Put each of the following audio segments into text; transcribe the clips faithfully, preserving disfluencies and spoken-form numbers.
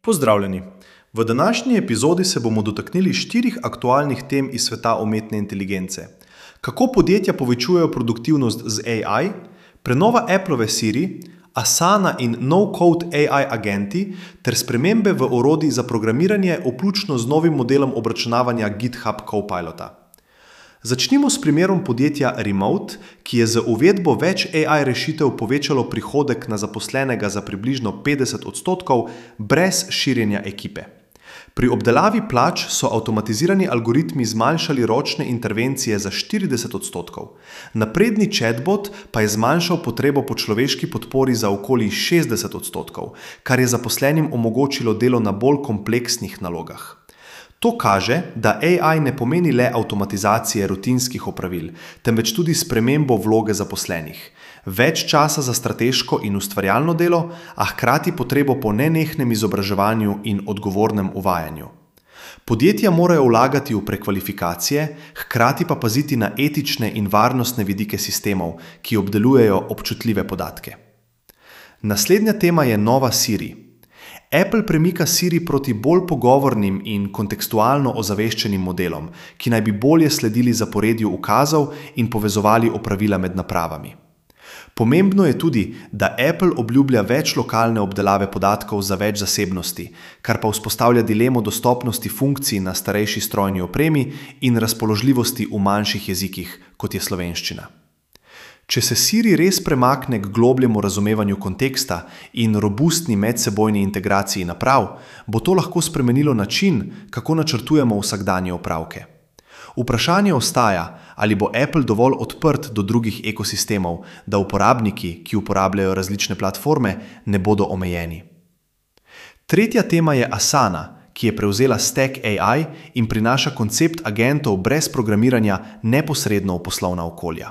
Pozdravljeni! V današnji epizodi se bomo dotaknili štirih aktualnih tem iz sveta umetne inteligence. Kako podjetja povečujejo produktivnost z A I, prenova Applove Siri, Asana in no-code A I agenti ter spremembe v orodjih za programiranje, vključno z novim modelom obračunavanja GitHub Copilota. Začnimo s primerom podjetja Remote, ki je z uvedbo več A I rešitev povečalo prihodek na zaposlenega za približno petdeset odstotkov brez širjenja ekipe. Pri obdelavi plač so avtomatizirani algoritmi zmanjšali ročne intervencije za štirideset odstotkov. Napredni chatbot pa je zmanjšal potrebo po človeški podpori za okoli šestdeset odstotkov, kar je zaposlenim omogočilo delo na bolj kompleksnih nalogah. To kaže, da A I ne pomeni le avtomatizacije rutinskih opravil, temveč tudi spremembo vloge zaposlenih. Več časa za strateško in ustvarjalno delo, a hkrati potrebo po nenehnem izobraževanju in odgovornem uvajanju. Podjetja morajo vlagati v prekvalifikacije, hkrati pa paziti na etične in varnostne vidike sistemov, ki obdelujejo občutljive podatke. Naslednja tema je nova Siri. Apple premika Siri proti bolj pogovornim in kontekstualno ozaveščenim modelom, ki naj bi bolje sledili zaporedju ukazov in povezovali opravila med napravami. Pomembno je tudi, da Apple obljublja več lokalne obdelave podatkov za več zasebnosti, kar pa vzpostavlja dilemo dostopnosti funkcij na starejši strojni opremi in razpoložljivosti v manjših jezikih, kot je slovenščina. Če se Siri res premakne k globljemu razumevanju konteksta in robustni medsebojni integraciji naprav, bo to lahko spremenilo način, kako načrtujemo vsakdanje opravke. Vprašanje ostaja, ali bo Apple dovolj odprt do drugih ekosistemov, da uporabniki, ki uporabljajo različne platforme, ne bodo omejeni. Tretja tema je Asana, ki je prevzela Stack A I in prinaša koncept agentov brez programiranja neposredno v poslovna okolja.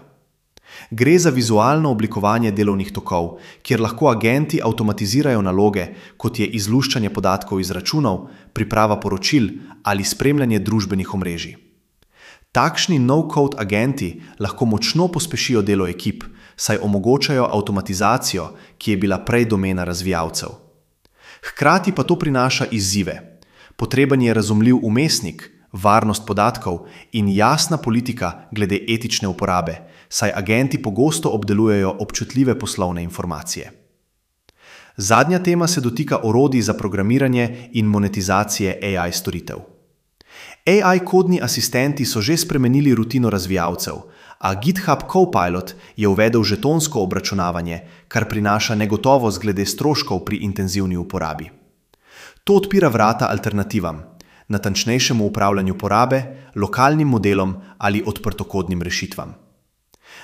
Gre za vizualno oblikovanje delovnih tokov, kjer lahko agenti avtomatizirajo naloge, kot je izluščanje podatkov iz računov, priprava poročil ali spremljanje družbenih omrežij. Takšni no-code agenti lahko močno pospešijo delo ekip, saj omogočajo avtomatizacijo, ki je bila prej domena razvijalcev. Hkrati pa to prinaša izzive. Potreben je razumljiv vmesnik, varnost podatkov in jasna politika glede etične uporabe, saj agenti pogosto obdelujejo občutljive poslovne informacije. Zadnja tema se dotika orodij za programiranje in monetizacije A I storitev. A I kodni asistenti so že spremenili rutino razvijalcev, a GitHub Copilot je uvedel žetonsko obračunavanje, kar prinaša negotovost glede stroškov pri intenzivni uporabi. To odpira vrata alternativam, natančnejšemu upravljanju porabe, lokalnim modelom ali odprtokodnim rešitvam.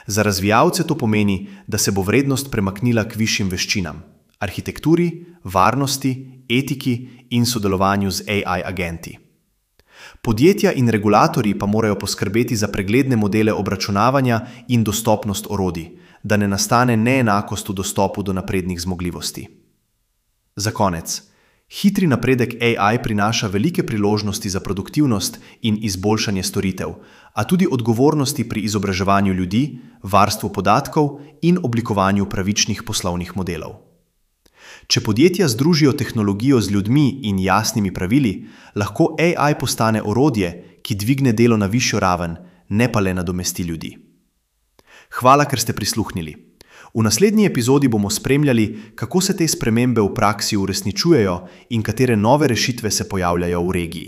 Za razvijalce to pomeni, da se bo vrednost premaknila k višjim veščinam, arhitekturi, varnosti, etiki in sodelovanju z A I agenti. Podjetja in regulatorji pa morajo poskrbeti za pregledne modele obračunavanja in dostopnost orodij, da ne nastane neenakost v dostopu do naprednih zmogljivosti. Za konec. Hitri napredek A I prinaša velike priložnosti za produktivnost in izboljšanje storitev, a tudi odgovornosti pri izobraževanju ljudi, varstvu podatkov in oblikovanju pravičnih poslovnih modelov. Če podjetja združijo tehnologijo z ljudmi in jasnimi pravili, lahko A I postane orodje, ki dvigne delo na višjo raven, ne pa le nadomesti ljudi. Hvala, ker ste prisluhnili. V naslednji epizodi bomo spremljali, kako se te spremembe v praksi uresničujejo in katere nove rešitve se pojavljajo v regiji.